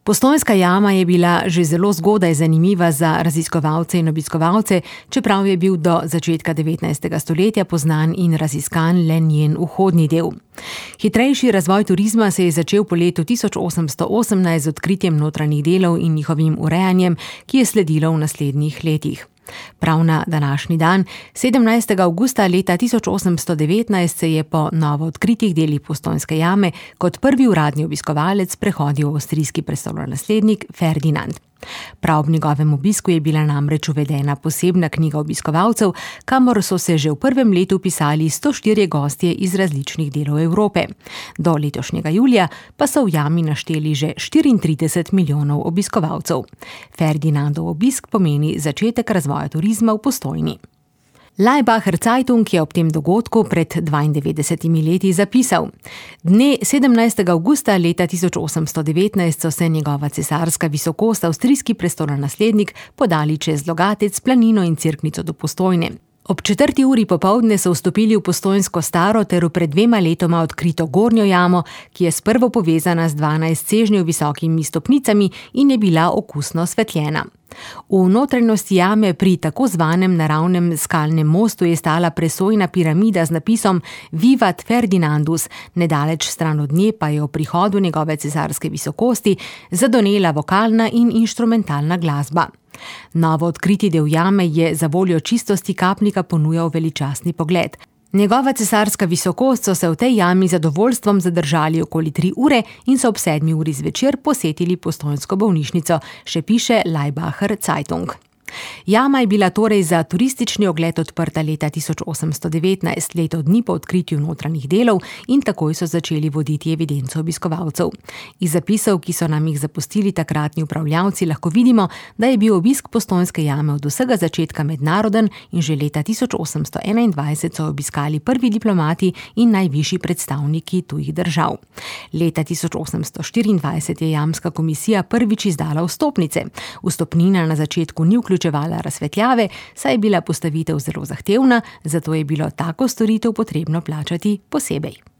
Postojnska jama je bila že zelo zgodaj zanimiva za raziskovalce in obiskovalce, čeprav je bil do začetka 19. stoletja poznan in raziskan le njen vhodni del. Hitrejši razvoj turizma se je začel po letu 1818 z odkritjem notranjih delov in njihovim urejanjem, ki je sledilo v naslednjih letih. Prav na današnji dan, 17. avgusta leta 1819, se je po novo odkritih delih Postojnske jame kot prvi uradni obiskovalec prehodil avstrijski prestolonaslednik Ferdinand. Prav ob njegovem obisku je bila namreč uvedena posebna knjiga obiskovalcev, kamor so se že v prvem letu pisali 104 gostje iz različnih delov Evrope. Do letošnjega julija pa so v jami našteli že 34 milijonov obiskovalcev. Ferdinandov obisk pomeni začetek razvoja turizma v Postojni. Laibacher Zeitung je ob tem dogodku pred 92 leti zapisal: Dne 17. avgusta leta 1819 so se njegova cesarska visokost, avstrijski prestolonaslednik, podali čez Logatec, Planino in Cerknico do Postojne. Ob 4. uri popoldne so vstopili v Postojnsko staro ter v pred 2 letoma odkrito gornjo jamo, ki je sprvo povezana z 12 sežnjev visokimi stopnicami in je bila okusno osvetljena. V notranjosti jame pri tako zvanem naravnem skalnem mostu je stala presojna piramida z napisom Vivat Ferdinandus, nedaleč stran od nje pa je o prihodu njegove cesarske visokosti zadonela vokalna in inštrumentalna glasba. Novo odkriti del jame je za voljo čistosti kapnika ponujal veličastni pogled. Njegova cesarska visokost so se v tej jami zadovoljstvom zadržali okoli 3 ure in so ob 7. uri zvečer posetili Postojnsko bolnišnico, še piše Laibacher Zeitung. Jama je bila torej za turistični ogled odprta leta 1819, leto dni po odkritju notranjih delov, in takoj so začeli voditi evidenco obiskovalcev. Iz zapisov, ki so nam jih zapustili takratni upravljavci, lahko vidimo, da je bil obisk Postojnske jame od vsega začetka mednaroden in že leta 1821 so obiskali prvi diplomati in najvišji predstavniki tujih držav. Leta 1824 je jamska komisija prvič izdala vstopnice. Vstopnina na začetku ni vključevala razsvetljave, saj je bila postavitev zelo zahtevna, zato je bilo tako storitev potrebno plačati posebej.